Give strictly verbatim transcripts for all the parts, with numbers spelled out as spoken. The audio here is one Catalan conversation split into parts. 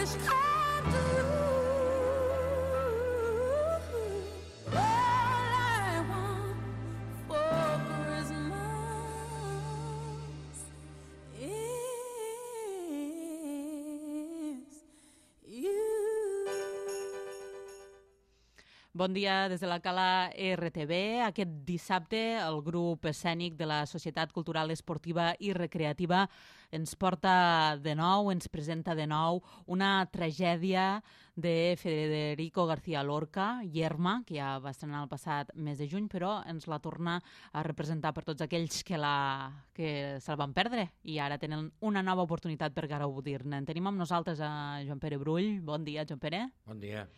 wish I do. All I want for Christmas is you. Bon dia des de la Cala R T V. Aquest dissabte el grup escènic de la Societat Cultural Esportiva i Recreativa ens porta de nou, ens presenta de nou una tragèdia de Federico García Lorca, Yerma, que ja va estrenar el passat mes de juny, però ens la torna a representar per tots aquells que, la, que se'l van perdre i ara tenen una nova oportunitat per gaudir-ne. En tenim amb nosaltres a Joan Pere Brull. Bon dia, Joan Pere. Bon dia.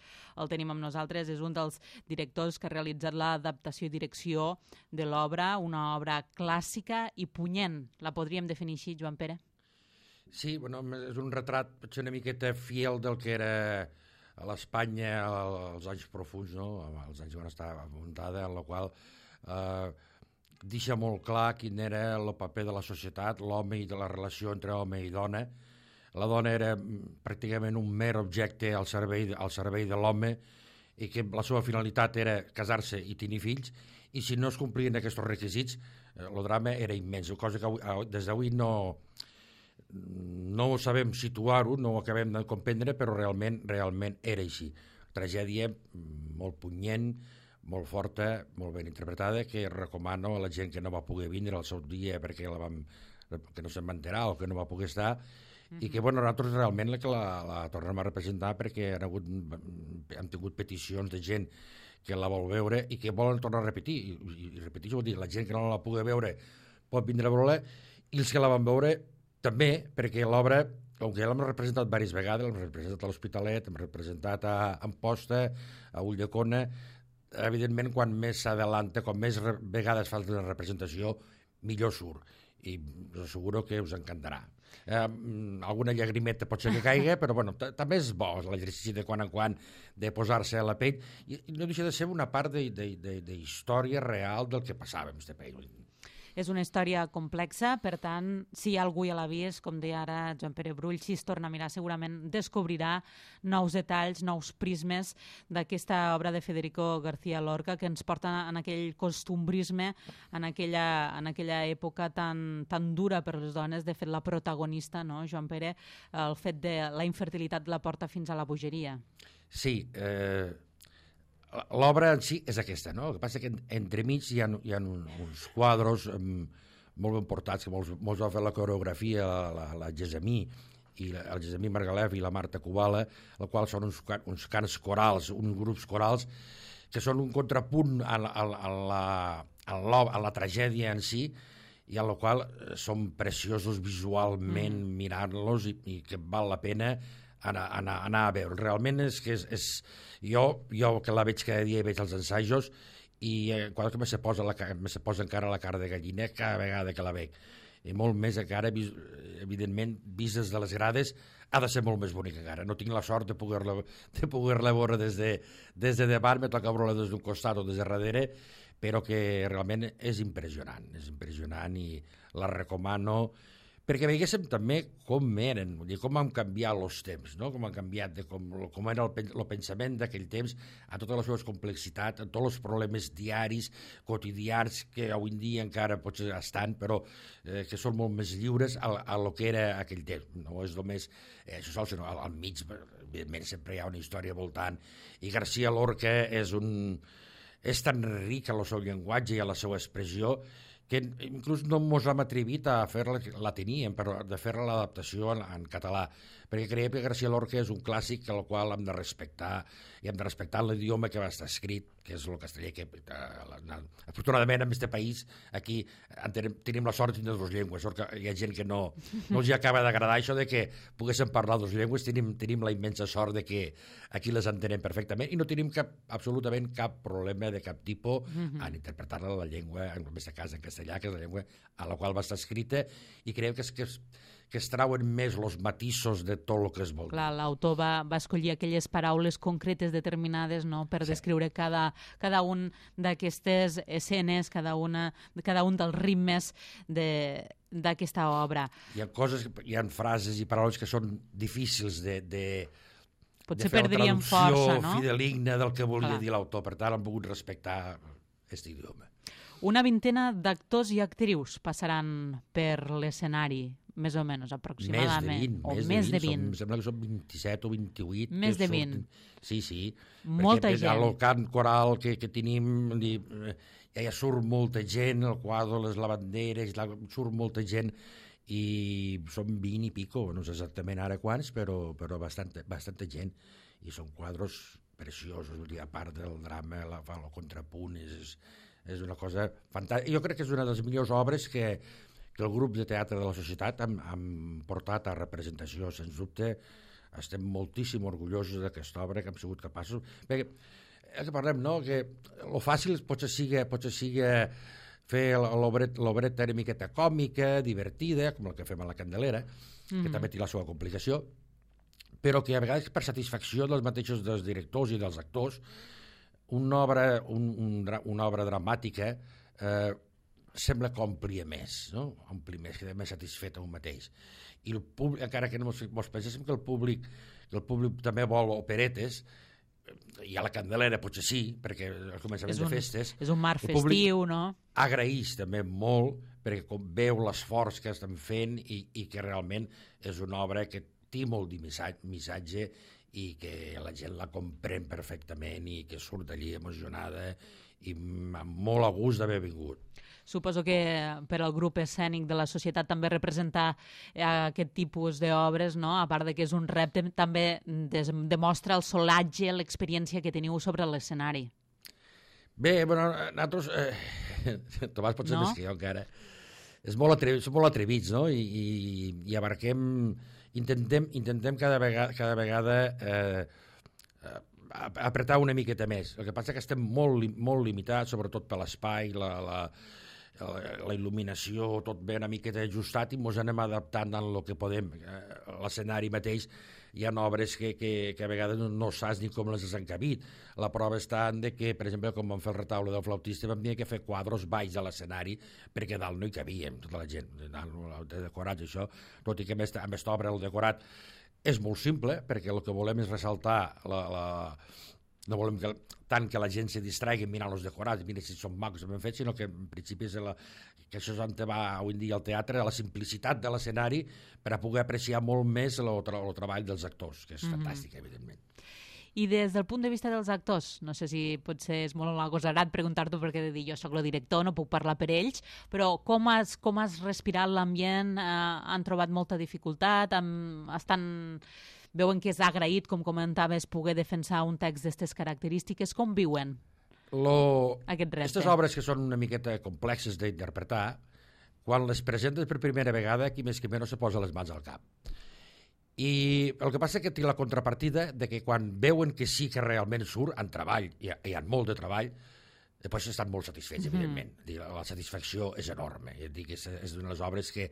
El tenim amb nosaltres, és un dels directors que ha realitzat l'adaptació i direcció de l'obra, una obra clàssica i punyent. La podríem definir així, Joan Pere? Sí, bueno, és un retrat potser una miqueta fiel del que era a l'Espanya als anys profuns, no? Els anys van estar muntada, en la qual eh, deixa molt clar quin era el paper de la societat, l'home i de la relació entre home i dona. La dona era pràcticament un mer objecte al servei, al servei de l'home i que la seva finalitat era casar-se i tenir fills, i si no es complien aquests requisits, eh, el drama era immens, cosa que avui, des d'avui no, no ho sabem situar-ho, no ho acabem de comprendre, però realment, realment era així. Tragèdia molt punyent, molt forta, molt ben interpretada, que recomano a la gent que no va poder vindre al seu dia perquè la vam, que no se'n va enterar o que no va poder estar, i que bueno, nosaltres realment la, la, la tornem a representar perquè han, hagut, han tingut peticions de gent que la vol veure i que volen tornar a repetir, i, i, i repetir, vol dir, la gent que no la pugui veure pot vindre a veure-la, i els que la van veure també, perquè l'obra, com que ja l'hem representat diverses vegades, l'hem representat a l'Hospitalet, hem representat a Amposta, a Ulldecona, evidentment quan més s'adelanta, com més vegades fa la representació, millor surt, i us asseguro que us encantarà. Eh, alguna llagrimeta pot ser que caigui, però bueno, també és bo l'exercici de quan en quan de posar-se a la pell, i no deixa de ser una part de, de, de, de història real del que passava en este país. És una història complexa, per tant, si hi ha algú ja l'ha vist, com deia ara Joan Pere Brull, si es torna a mirar segurament descobrirà nous detalls, nous prismes d'aquesta obra de Federico García Lorca que ens porta en aquell costumbrisme, en aquella, en aquella època tan, tan dura per les dones. De fet, la protagonista, no, Joan Pere, el fet de la infertilitat la porta fins a la bogeria. Sí, eh... l'obra en si és aquesta, no? El que passa que entremig hi ha, hi ha uns quadros um, molt ben portats, que molts, molts van fer la coreografia, la, la, la Gesamí, i la, el Gesamí Margalef i la Marta Kubala, el qual són uns, uns cants corals, uns grups corals, que són un contrapunt a la, a la, a la, a la tragèdia en si, i a la qual són preciosos visualment mm. mirant-los, i, i que val la pena anar, anar, anar a veure. Realment és que és, és jo, jo que la veig cada dia i veig els ensajos, i eh, quan que me se posa, la, me se posa encara la cara de gallina cada vegada que la veig, i molt més encara, evidentment, vist des de les grades, ha de ser molt més bonica encara. No tinc la sort de poder-la de poder-la veure des de, des de davant, me toca veure-la des d'un costat o des de darrere, però que realment és impressionant, és impressionant, i la recomano perquè veiéssim també com eren, vull dir, com han canviat els temps, no? Com han canviat, de com, com era el, el pensament d'aquell temps, a totes les seves complexitats, a tots els problemes diaris, quotidians, que avui en dia encara potser estan, però eh, que són molt més lliures a, a lo que era aquell temps. No és només eh, això sol, sinó al, al mig, evidentment, sempre hi ha una història voltant, i García Lorca és un... és tan ric en el seu llenguatge i en la seva expressió que inclús no ens hem atrevit a fer-la, la teníem, però de fer-la l'adaptació en, en català, perquè creiem que García Lorca és un clàssic al qual hem de respectar, i hem de respectar l'idioma que va estar escrit, que és el castellà, que eh, afortunadament en aquest país aquí tenim, tenim la sort de tenir dues llengües, sort que hi ha gent que no, no els acaba d'agradar això de que poguéssim parlar dues llengües, tenim, tenim la immensa sort de que aquí les entenem perfectament i no tenim cap, absolutament cap problema de cap tipus mm-hmm. en interpretar-la la llengua, en aquest cas en castellà, que és la llengua a la qual va estar escrita, i creu que es, que es, que es trauen més els matisos de tot el que es vol dir. Clar, l'autor va, va escollir aquelles paraules concretes determinades, no?, per sí. descriure cada, cada un d'aquestes escenes, cada, una, cada un dels ritmes de, d'aquesta obra. Hi ha coses, hi ha frases i paraules que són difícils de, de, Potser de fer la perdríem traducció força, no? fideligna del que volia Clar. dir l'autor. Per tant, han pogut respectar aquest idioma. Una vintena d'actors i actrius passaran per l'escenari, més o menys, aproximadament. Més de vint. O més, més de de vint. Som, em sembla que són vint-i-set o vint-i-vuit. Més que de vint. surten. Sí, sí. Molta perquè gent. El cant coral que, que tenim, dir, ja, ja surt molta gent, el quadre, les lavanderes, la, surt molta gent, i són vint i pico, no sé exactament ara quants, però, però bastanta, bastanta gent. I són quadres preciosos, vull dir, a part del drama, la, el contrapunt, és, és una cosa fantàstica. Jo crec que és una de les millors obres que, que el grup de teatre de la societat han, han portat a representació. Sens dubte, estem moltíssim orgullosos d'aquesta obra que hem sigut capaços. Perquè, el que parlem, no?, que el fàcil potser sigui, potser sigui fer l'obreta una miqueta còmica, divertida, com el que fem a la Candelera, mm-hmm. que també té la seva complicació, però que a vegades per satisfacció dels mateixos dels directors i dels actors, una obra, un, un, una obra dramàtica eh, sembla que omplia més, no? Ompli més, queda més satisfet a un mateix. I el públic, encara que no mos, mos penséssim que el públic, que el públic també vol operetes, i a la Candelera potser sí, perquè al començament un, de festes... És un mar festiu, no? Agraeix també molt, perquè com veu l'esforç que estan fent i, i que realment és una obra que té molt de missatge i que la gent la comprèn perfectament i que surt d'allí emocionada i amb molt a gust d'haver vingut. Suposo que per al grup escènic de la societat també representar aquest tipus d'obres, no? A part de que és un repte, també des, demostra el solatge, l'experiència que teniu sobre l'escenari. Bé, bueno, nosaltres... Eh, Tomàs pot ser no? més que jo encara. És molt atrevi, som molt atrevits, no? I, i, i abarquem... Intentem, intentem cada vegada, cada vegada eh, apretar una miqueta més. El que passa és que estem molt, molt limitats, sobretot per l'espai, la, la, la, la il·luminació, tot bé una miqueta ajustat i ens anem adaptant en el que podem. L'escenari mateix hi ha obres que, que, que a vegades no, no saps ni com les has encabit. La prova està en de que, per exemple, com vam fer el retaule del flautista, vam tenir que fer quadros baix a l'escenari perquè dalt no hi cabíem, tota la gent, de decorats, això, tot i que amb aquesta obra el decorat és molt simple, perquè el que volem és ressaltar la... la no volem que, tant que la gent se distraigui mirant els decorats, mira si són macos ben fets, sinó que en principi és la, que això és on va avui en dia al teatre, la simplicitat de l'escenari per a poder apreciar molt més el, el treball dels actors, que és mm-hmm. fantàstic, evidentment. I des del punt de vista dels actors, no sé si potser és molt agosarat preguntar-t'ho perquè de dir jo sóc el director, no puc parlar per ells, però com has, com has respirat l'ambient? Eh, han trobat molta dificultat? Amb, estan... Veuen que és agraït, com comentaves, poder defensar un text d'aquestes característiques. Com viuen Lo... aquest repte? Aquestes obres que són una miqueta complexes d'interpretar, quan les presentes per primera vegada, qui més que menys se posa les mans al cap. I el que passa és que té la contrapartida de que quan veuen que sí que realment surt, en treball, hi ha, hi ha molt de treball, després estan molt satisfets, mm-hmm. evidentment. La satisfacció és enorme. Dic, és, és una de les obres que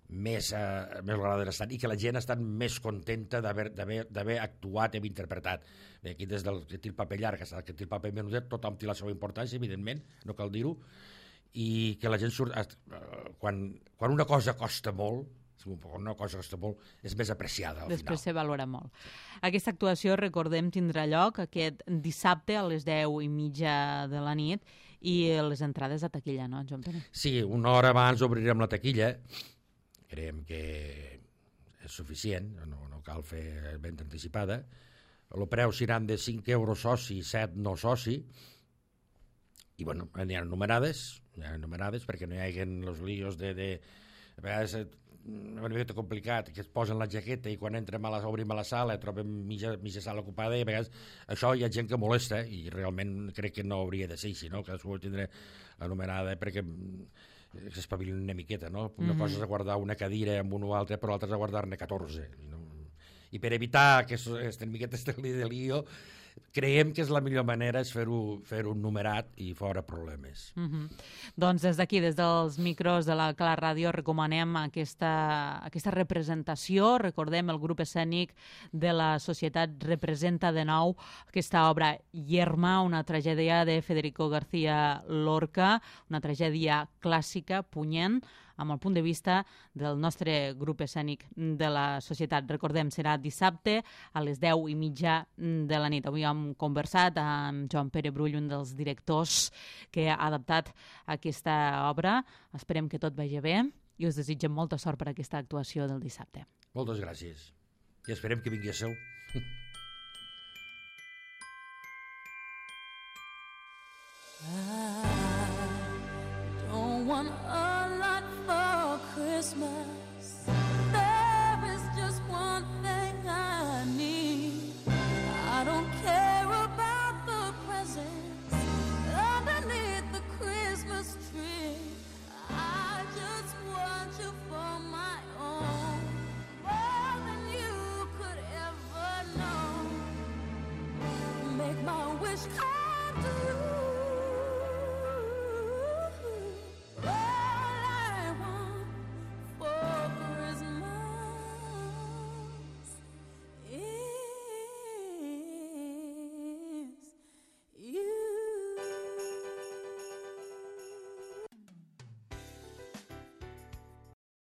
més, eh, més agradaran estar i que la gent està més contenta d'haver actuat i interpretat. Bé, aquí des del que té el paper llarg, que té el paper menudet, tothom té la seva importància, evidentment, no cal dir-ho, i que la gent surt... Eh, quan, quan una cosa costa molt, quan una cosa costa molt, és més apreciada al Després final. se valora molt. Aquesta actuació, recordem, tindrà lloc aquest dissabte a les deu i mitja de la nit i les entrades a taquilla, no, Joan Pere? Sí, una hora abans obrirem la taquilla. Creiem que és suficient, no, no cal fer venda anticipada. El preu seran de cinc euros soci, set no soci, i bueno, n'hi ha numerades, n'hi ha numerades perquè no hi hagi els líos de, de... A vegades és una mica complicat, que es posen la jaqueta i quan entrem a la, obrim a la sala trobem mitja, mitja sala ocupada i a vegades això hi ha gent que molesta i realment crec que no hauria de ser així, no? Cadascú tindrà la numerada perquè que s'espavilin una miqueta, no? Una mm-hmm. cosa és guardar una cadira amb un o altre, però l'altra és guardar-ne catorze. No? I per evitar que aquesta miqueta estigui de lío, creiem que és la millor manera és fer-ho fer-ho numerat i fora problemes. Mm-hmm. Doncs des d'aquí, des dels micros de la Cala Ràdio, recomanem aquesta, aquesta representació. Recordem, el grup escènic de la societat representa de nou aquesta obra Yerma, una tragèdia de Federico García Lorca, una tragèdia clàssica, punyent, amb el punt de vista del nostre grup escènic de la societat. Recordem, serà dissabte a les deu i mitja de la nit. Avui hem conversat amb Joan Pere Brull, un dels directors que ha adaptat aquesta obra. Esperem que tot vagi bé i us desitgem molta sort per aquesta actuació del dissabte. Moltes gràcies. I esperem que vingui a seu.